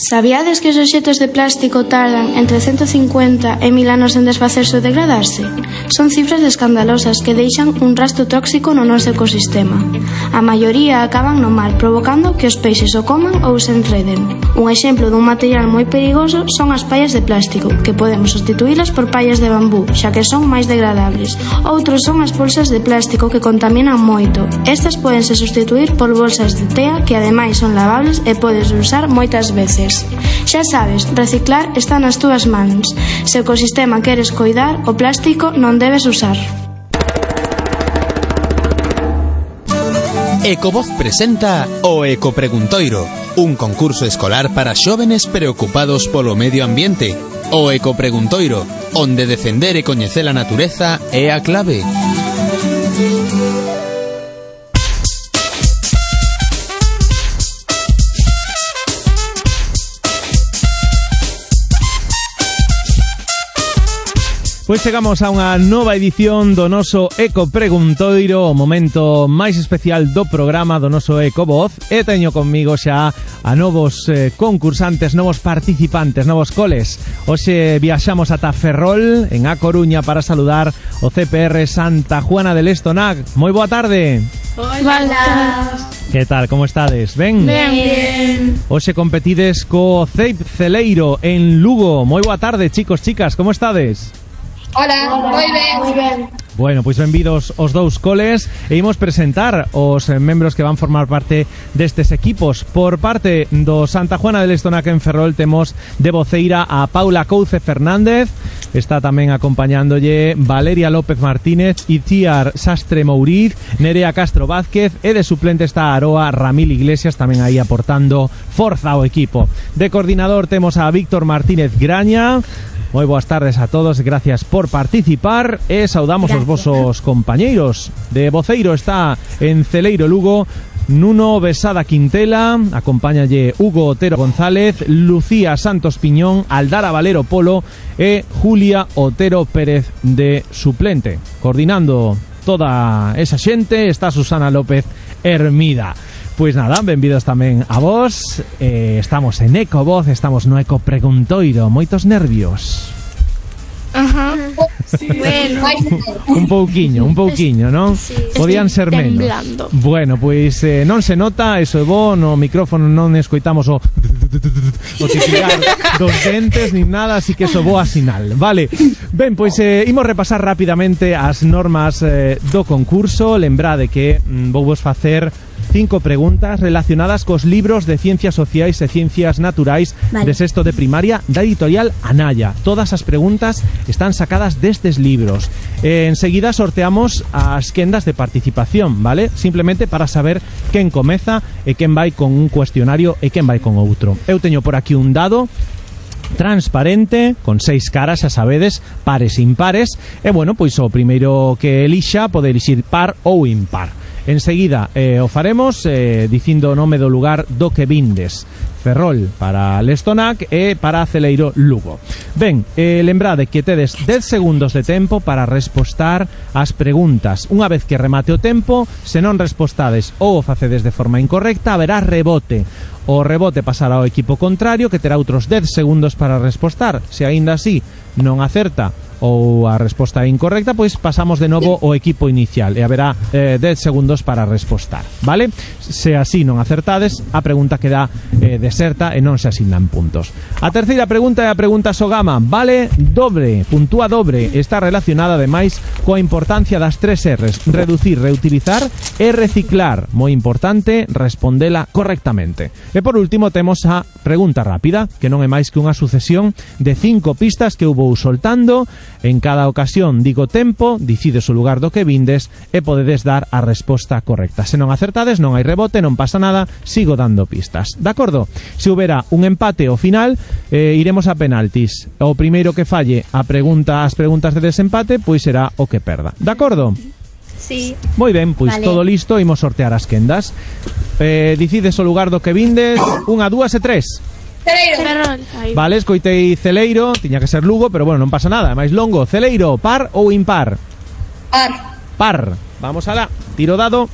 Sabíades que os obxetos de plástico tardan entre 150 e 1000 anos en desfacerse ou degradarse? Son cifras escandalosas que deixan un rastro tóxico no noso ecosistema. A maioría acaban no mar, provocando que os peixes o coman ou se enreden. Un exemplo dun material moi perigoso son as pallas de plástico, que podemos sustituílas por pallas de bambú, xa que son máis degradables. Outros son as bolsas de plástico que contaminan moito. Estas pódense sustituir por bolsas de tea que ademais son lavables e podes usar moitas veces. Xa sabes, reciclar está nas túas mans. Se o ecosistema queres coidar, o plástico non debes usar. Ecovoz presenta o Ecopreguntoiro, un concurso escolar para xóvenes preocupados polo medio ambiente. O Ecopreguntoiro, onde defender e coñecer a natureza é a clave. Pois chegamos a unha nova edición do noso Ecopreguntoiro, o momento máis especial do programa do noso Ecovoz, e teño conmigo xa a novos concursantes, novos participantes, novos coles. Hoxe viaxamos ata Ferrol, en A Coruña, para saludar o CPR Santa Juana del Estonac. Moi boa tarde. Hola. Que tal, como estades? Ben? Ben. Hoxe competides co CEIP Celeiro en Lugo. Moi boa tarde, chicos, chicas, como estades? Hola, moi ben. Bueno, pois benvidos os dous coles e imos presentar os membros que van formar parte destes equipos. Por parte do Santa Juana del Estonac en Ferrol temos de voceira a Paula Couce Fernández, está tamén acompañándolle Valeria López Martínez, Itziar Sastre Mouriz, Nerea Castro Vázquez, e de suplente está a Aroa Ramil Iglesias, tamén aí aportando forza ao equipo. De coordinador temos a Víctor Martínez Graña. Moi boas tardes a todos, gracias por participar e saudamos os vosos compañeiros. De voceiro está en Celeiro Lugo Nuno Besada Quintela, acompáñalle Hugo Otero González, Lucía Santos Piñón, Aldara Valero Polo e Julia Otero Pérez de suplente. Coordinando toda esa xente está Susana López Hermida. Pois nada, benvidos tamén a vos. Estamos en Ecovoz, estamos no Ecopreguntoiro. Moitos nervios. Ajá. Sí. Bueno. Un pouquiño, non? Sí. Podían ser menos. Temblando. Bueno, pois non se nota, eso é bo, no micrófono non escoitamos o titilar dos dentes nin nada, así que eso boa sinal. Vale. Ben, pois imos repasar rapidamente as normas do concurso. Lembrade que vou vos facer 5 preguntas relacionadas cos libros de Ciencias Sociais e Ciencias Naturais de sexto de primaria da editorial Anaya. Todas as preguntas están sacadas destes libros. Enseguida sorteamos as quendas de participación, vale? Simplemente para saber quen comeza e quen vai con un cuestionario e quen vai con outro. Eu teño por aquí un dado transparente, con 6 caras, xa sabedes, pares e impares, e bueno, pois o primeiro que elixa pode elixir par ou impar. Enseguida o faremos dicindo o nome do lugar do que vindes. Ferrol para Lestonac e para Celeiro Lugo. Ben, lembrade que tedes 10 segundos de tempo para respostar as preguntas. Unha vez que remate o tempo, se non respostades ou o facedes de forma incorrecta, haberá rebote. O rebote pasará ao equipo contrario, que terá outros 10 segundos para respostar. Se aínda así non acerta ou a resposta é incorrecta, pois pasamos de novo ao equipo inicial e haberá 10 segundos para respostar, vale? Se así non acertades, a pregunta queda deserta e non se asignan puntos. A terceira pregunta é a pregunta Sogama, vale dobre, puntúa dobre, está relacionada ademais coa importancia das 3 R's, reducir, reutilizar e reciclar. Moi importante respondela correctamente. E por último temos a pregunta rápida, que non é máis que unha sucesión de 5 pistas que eu vou soltando. En cada ocasión digo tempo, dicides o lugar do que vindes e podedes dar a resposta correcta. Se non acertades, non hai rebote, non pasa nada, sigo dando pistas. De acordo? Se houbera un empate ao final, iremos a penaltis. O primeiro que falle as preguntas de desempate, pois será o que perda. De acordo? Sí. Moi ben, pois vale. Todo listo, imos sortear as quendas. Dicides o lugar do que vindes, 1, 2 e 3. Celeiro. Vale, escoitei Celeiro, tiña que ser Lugo, pero bueno, non pasa nada, máis longo. Celeiro, par ou impar? Par. Vamos alá, tiro dado.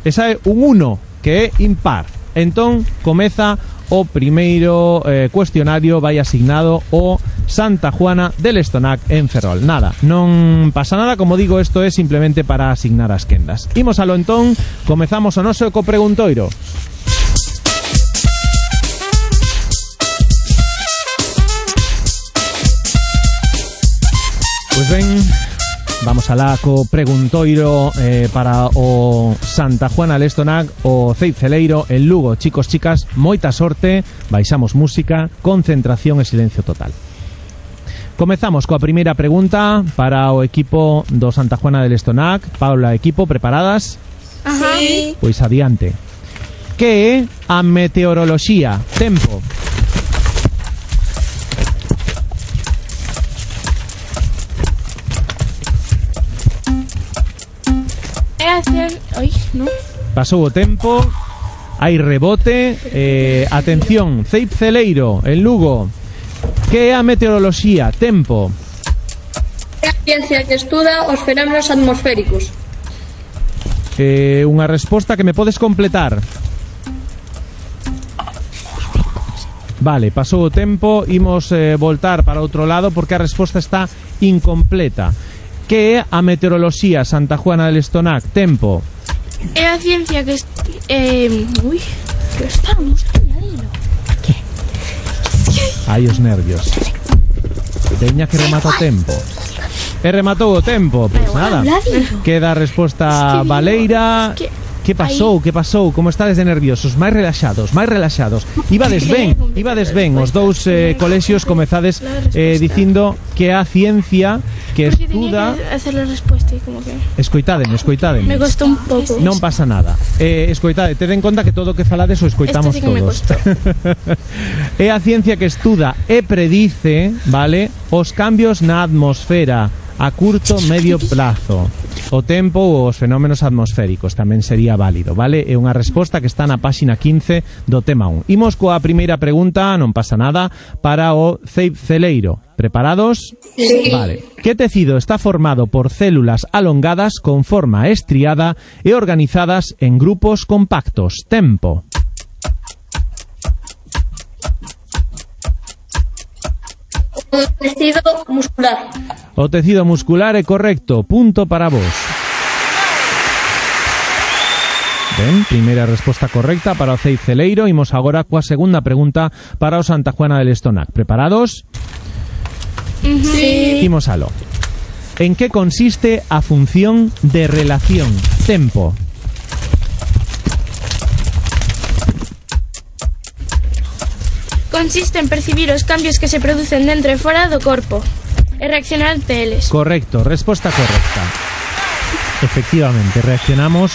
Esa é un 1, que é impar. Entón, comeza o primeiro cuestionario, vai asignado o Santa Juana del Estonac en Ferrol. Nada, non pasa nada, como digo, isto é simplemente para asignar as quendas. Imos alo entón, comezamos o noso ecopreguntoiro. Pois ben, vamos alá co preguntoiro para o Santa Juana del Estonac, o Ceib Celeiro en Lugo. Chicos, chicas, moita sorte, baixamos música, concentración e silencio total. Comezamos coa primeira pregunta para o equipo do Santa Juana del Estonac. Paula, equipo, preparadas? Ajá. Sí. Pois adiante. Que é a meteoroloxía? Tempo. Pasou o tempo, hai rebote. Atención, Ceib Celeiro en Lugo. Que é a meteoroloxía? Tempo. É a ciencia que estuda os fenómenos atmosféricos. Unha resposta que me podes completar. Vale, pasou o tempo, imos voltar para outro lado porque a resposta está incompleta. Que é a meteoroloxía, Santa Juana del Estonac? Tempo. É a ciencia que que estamos dilo. Hai os nervios. Teña que remata o tempo. E rematou o tempo. Pois nada, queda a resposta baleira. Que pasou? Que pasou? Como estades de nerviosos? Máis relaxados, máis relaxados. Ibades ben. Os dous colexios comezades dicindo que a ciencia que estuda... Que hacer a resposta e como que... Escoitádeme. Me costou un pouco. Non pasa nada. Escoitade, ted en conta que todo o que falades o escoitamos sí todos. É a ciencia que estuda e predice, vale, os cambios na atmosfera a curto, medio plazo. O tempo ou os fenómenos atmosféricos tamén sería válido, vale? É unha resposta que está na páxina 15 do tema 1. Imos coa primeira pregunta, non pasa nada, para o Ceib Celeiro. Preparados? Sí. Vale. Que tecido está formado por células alongadas con forma estriada e organizadas en grupos compactos? Tempo. O tecido muscular. O tecido muscular é correcto. Punto para vos. Ben, primeira resposta correcta para o Ceib Celeiro. Imos agora coa segunda pregunta para o Santa Juana del Estonac. Preparados? Sí. Imos alo. En que consiste a función de relación? Tempo. Consiste en percibir os cambios que se producen dentro e fora do corpo e reaccionar ante eles. Correcto, resposta correcta. Efectivamente, reaccionamos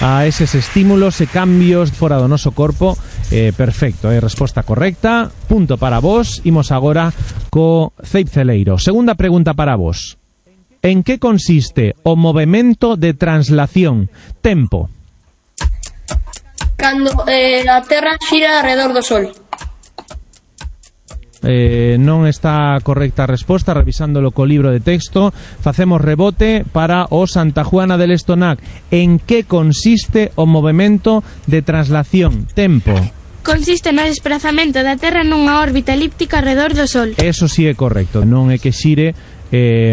a eses estímulos e cambios fora do noso corpo. Perfecto, resposta correcta. Punto para vos. Imos agora co Ceib Celeiro. Segunda pregunta para vos. En que consiste o movemento de translación? Tempo. Cando a Terra xira alrededor do Sol. Non está correcta a resposta. Revisándolo co libro de texto, facemos rebote para o Santa Juana del Estonac. En que consiste o movemento de translación? Tempo. Consiste no desplazamento da Terra nunha órbita elíptica alrededor do Sol. Eso sí é correcto. Non é que xire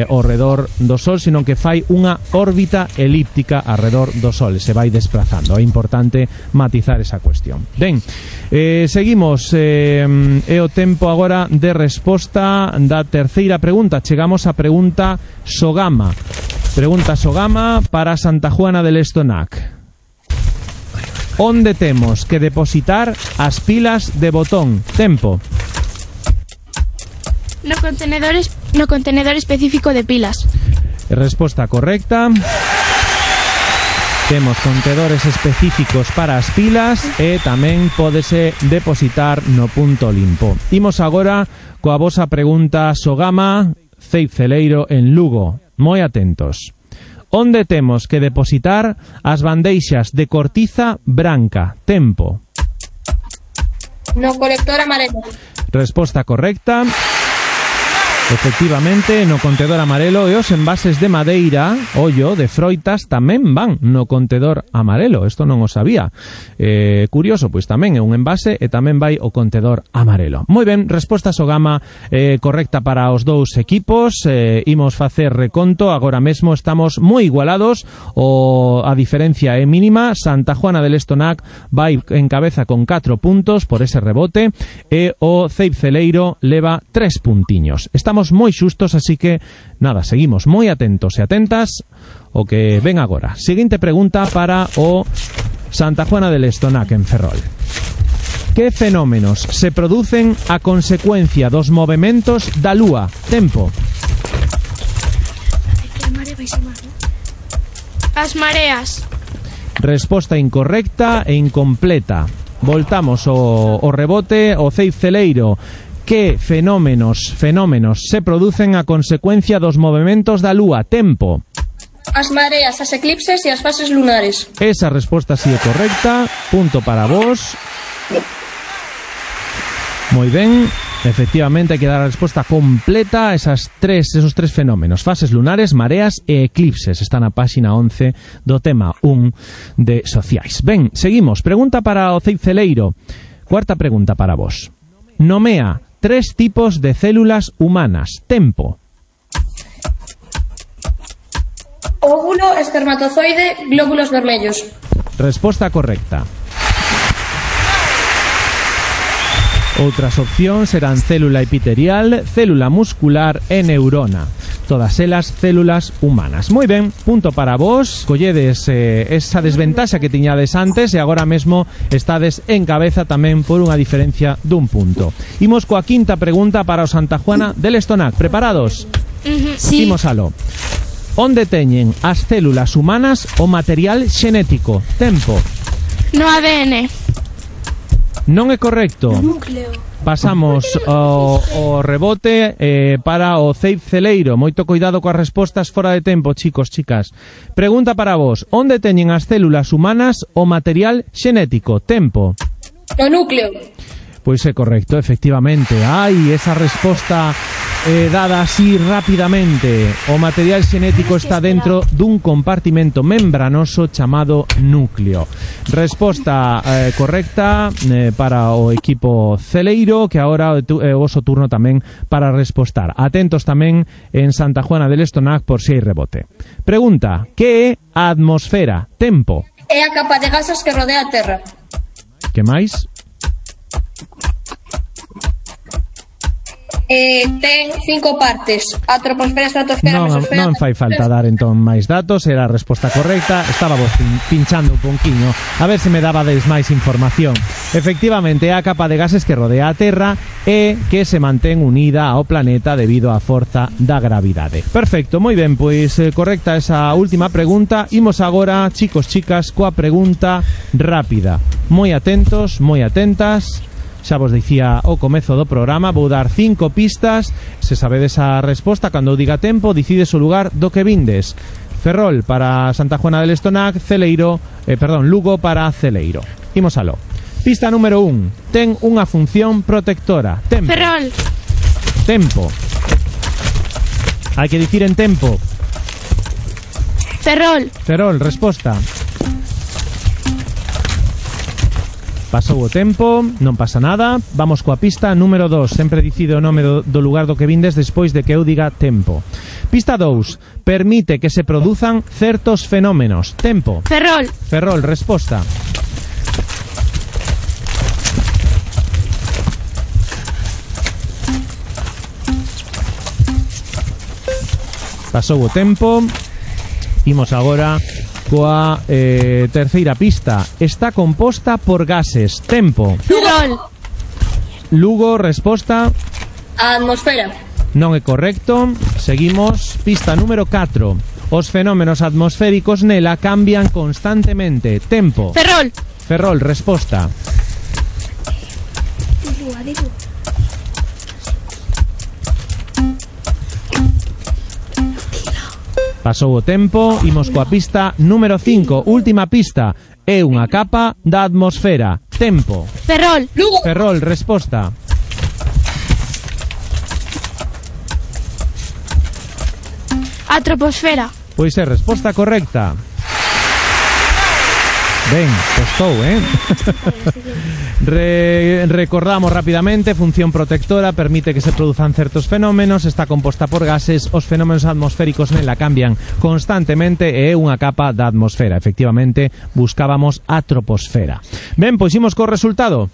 ao redor do Sol, sino que fai unha órbita elíptica alredor do Sol, se vai desplazando. É importante matizar esa cuestión. Ben, seguimos. É o tempo agora de resposta da terceira pregunta. Chegamos á pregunta Sogama. Pregunta Sogama para Santa Juana del Estonac. Onde temos que depositar as pilas de botón? Tempo. No contenedor específico de pilas. Resposta correcta. Temos contenedores específicos para as pilas e tamén pódese depositar no punto limpo. Imos agora coa vosa pregunta Sogama, Ceib Celeiro en Lugo. Moi atentos. Onde temos que depositar as bandeixas de cortiza branca? Tempo. No colector amarelo. Resposta correcta. Efectivamente, no contedor amarelo e os envases de madeira, ollo, de froitas tamén van no contedor amarelo. Isto non o sabía. Curioso, pois tamén é un envase e tamén vai o contedor amarelo. Moi ben, resposta Sogama correcta para os dous equipos. Imos facer reconto, agora mesmo estamos moi igualados, a diferencia é mínima. Santa Juana del Estonac vai en cabeza con 4 puntos por ese rebote e o Ceib Celeiro leva 3 puntiños. Estamos moi xustos, así que nada, seguimos moi atentos e atentas o que ven agora. Seguinte pregunta para o Santa Juana del Estonac en Ferrol. Que fenómenos se producen a consecuencia dos movementos da Lúa? Tempo. As mareas. Resposta incorrecta e incompleta. Voltamos o rebote, o Ceib Celeiro. Que fenómenos se producen a consecuencia dos movementos da Lúa? Tempo. As mareas, as eclipses e as fases lunares. Esa resposta sí é correcta. Punto para vos. Moi ben. Efectivamente, hai que dar a resposta completa a esos tres fenómenos. Fases lunares, mareas e eclipses. Está na páxina 11 do tema 1 de Sociais. Ben, seguimos. Pregunta para o Ceib Celeiro. Cuarta pregunta para vos. Nomea 3 tipos de células humanas. Tempo. Óvulo, espermatozoide, glóbulos vermellos. Resposta correcta. Outras opcións serán célula epitelial, célula muscular e neurona. Todas elas células humanas. Moi ben, punto para vos. Colledes esa desventaxa que tiñades antes e agora mesmo estades en cabeza tamén por unha diferencia dun punto. Imos coa quinta pregunta para o Santa Juana del Estonac. Preparados? Sí. Imos aló. Onde teñen as células humanas o material xenético? Tempo. No ADN. Non é correcto. Núcleo. Pasamos o rebote para o Ceib Celeiro. Moito cuidado coas respostas fora de tempo, chicos, chicas. Pregunta para vos. Onde teñen as células humanas o material xenético? Tempo. No núcleo. Pois é correcto, efectivamente. Ai, esa resposta dada así rapidamente. O material xenético está dentro dun compartimento membranoso chamado núcleo. Resposta correcta para o equipo Celeiro, que agora é o voso turno tamén para respostar. Atentos tamén en Santa Juana del Estonac por si hai rebote. Pregunta, que é a atmosfera? Tempo. É a capa de gases que rodea a Terra. Que máis? Ten 5 partes: a troposfera, estratosfera, mesosfera. Non fai falta dar entón máis datos. Era a resposta correcta. Estaba vos pinchando un pouquiño a ver se me dabades máis información. Efectivamente, é a capa de gases que rodea a Terra e que se mantén unida ao planeta debido á forza da gravidade. Perfecto, moi ben, pois correcta esa última pregunta. Imos agora, chicos, chicas, coa pregunta rápida. Moi atentos, moi atentas. Xa vos dicía o comezo do programa, vou dar 5 pistas. Se sabedes a resposta, cando eu diga tempo, decides o lugar do que vindes. Ferrol para Santa Juana del Estonac, Lugo para Celeiro. Imos aló. Pista número 1. Ten unha función protectora. Tempo. Ferrol. Tempo. Hai que dicir en tempo. Ferrol. Ferrol, resposta. Pasou o tempo, non pasa nada. Vamos coa pista número 2. Sempre dicide o nome do lugar do que vindes despois de que eu diga tempo. Pista 2. Permite que se produzan certos fenómenos. Tempo. Ferrol. Ferrol, resposta. Pasou o tempo. Imos agora coa terceira pista. Está composta por gases. Tempo. Ferrol. Lugo, resposta. A atmosfera. Non é correcto. Seguimos. Pista número 4. Os fenómenos atmosféricos nela cambian constantemente. Tempo. Ferrol. Ferrol, resposta. Pasou o tempo, imos coa pista número 5, última pista. É unha capa da atmosfera. Tempo. Ferrol. Ferrol, resposta. A troposfera. Pois é resposta correcta. Ben, costou, Recordamos rápidamente, función protectora, permite que se produzan certos fenómenos, está composta por gases, os fenómenos atmosféricos nela cambian constantemente e é unha capa da atmosfera. Efectivamente, buscábamos a troposfera. Ben, pois imos co resultado.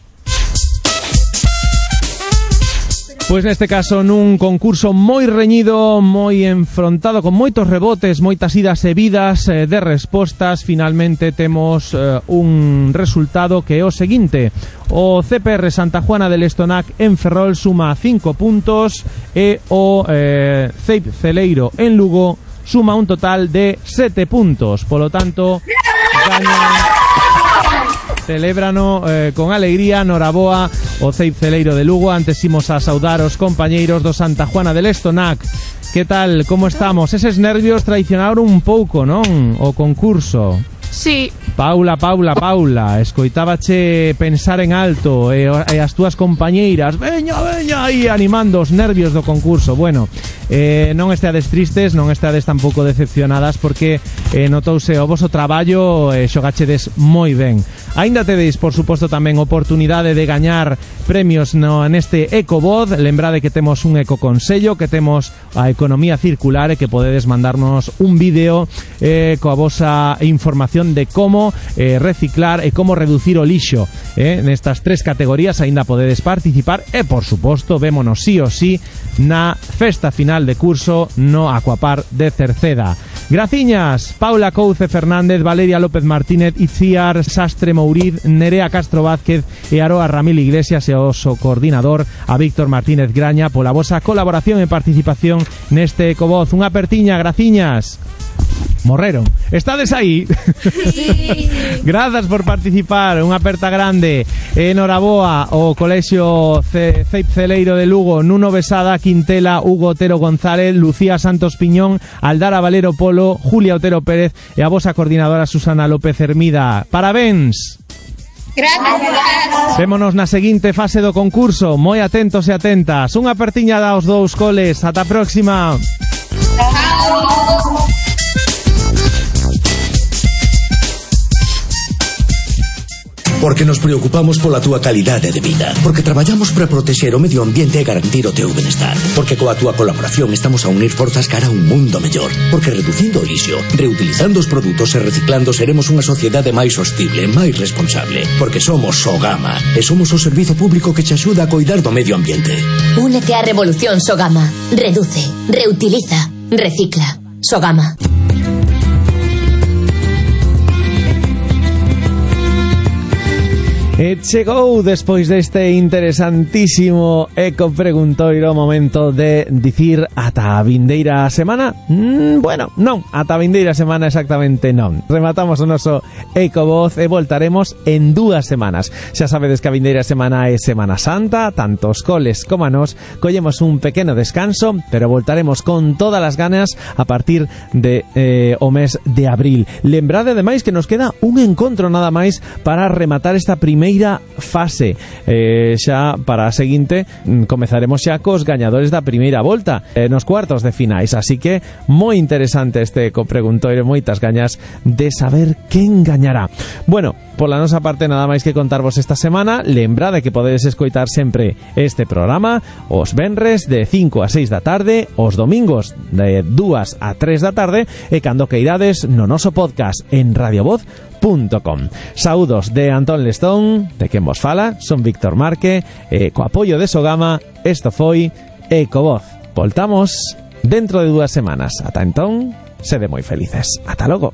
Pois neste caso nun concurso moi reñido, moi enfrontado, con moitos rebotes, moitas idas e vidas de respostas, finalmente temos un resultado que é o seguinte: o CPR Santa Juana del Estonac en Ferrol suma 5 puntos e o CEIP Celeiro en Lugo suma un total de 7 puntos. Polo tanto, celébrano con alegría, noraboa o CEIP Celeiro de Lugo. Antes imos a saudar os compañeiros do Santa Juana del Estonac. Que tal, como estamos? Eses nervios traicionaron un pouco, non? O concurso. Sí. Paula, escoitábache pensar en alto e as túas compañeiras, veña, aí animando os nervios do concurso. Bueno, non esteades tristes, non esteades tampouco decepcionadas, porque notouse o voso traballo e xogachedes moi ben. Aínda tedes, por suposto, tamén oportunidade de gañar premios neste Ecovoz. Lembrade que temos un ecoconsello, que temos a economía circular e que podedes mandarnos un vídeo coa vosa información de como reciclar e como reducir o lixo. Nestas 3 categorías aínda podedes participar e, por suposto, vémonos sí o sí na festa final de curso no Aquapar de Cerceda. Graciñas, Paula Couce Fernández, Valeria López Martínez, Itziar Sastre Mouriz, Nerea Castro Vázquez e Aroa Ramil Iglesias e o so coordinador a Víctor Martínez Graña pola vosa colaboración e participación neste Ecovoz. Unha apertiña, graciñas. Morreron. Estades aí? Sí. Grazas por participar. Unha aperta grande. Enhoraboa o Colexio CEIP Celeiro de Lugo, Nuno Besada Quintela, Hugo Otero González, Lucía Santos Piñón, Aldara Valero Polo, Julia Otero Pérez e a vosa coordinadora Susana López Hermida. Parabéns. Gracias. Vémonos na seguinte fase do concurso. Moi atentos e atentas. Unha apertiña daos dous coles. Ata a próxima. Chao. Porque nos preocupamos pola túa calidade de vida. Porque traballamos para protexer o medio ambiente e garantir o teu benestar. Porque coa túa colaboración estamos a unir forzas cara a un mundo mellor. Porque reducindo o lixo, reutilizando os produtos e reciclando seremos unha sociedade máis sostible, máis responsable. Porque somos Sogama e somos o servizo público que te axuda a coidar do medio ambiente. Únete á revolución Sogama. Reduce, reutiliza, recicla. Sogama. E chegou despois deste interesantísimo eco preguntoiro momento de dicir ata a vindeira semana. Bueno, non, ata a vindeira semana exactamente non. Rematamos o noso Ecovoz e voltaremos en 2 semanas. Xa sabedes que a vindeira semana é Semana Santa, tanto os coles como a nos collemos un pequeno descanso, pero voltaremos con todas as ganas a partir de o mes de abril. Lembrade ademais que nos queda un encontro nada máis para rematar esta primeira fase. Xa para a seguinte comezaremos xa cos gañadores da primeira volta nos cuartos de finais, así que moi interesante este copreguntoiro, moitas gañas de saber quen gañará. Bueno, pola nosa parte nada máis que contarvos esta semana. Lembrade que podedes escoitar sempre este programa os venres de 5 a 6 da tarde, os domingos de 2 a 3 da tarde e cando queirades no noso podcast en radiovoz.com. Saúdos de Antón Lestón, de quen vos fala, son Víctor Marque, co apoio de Sogama, isto foi Ecovoz. Voltamos dentro de 2 semanas. Ata entón, sede moi felices. Ata logo.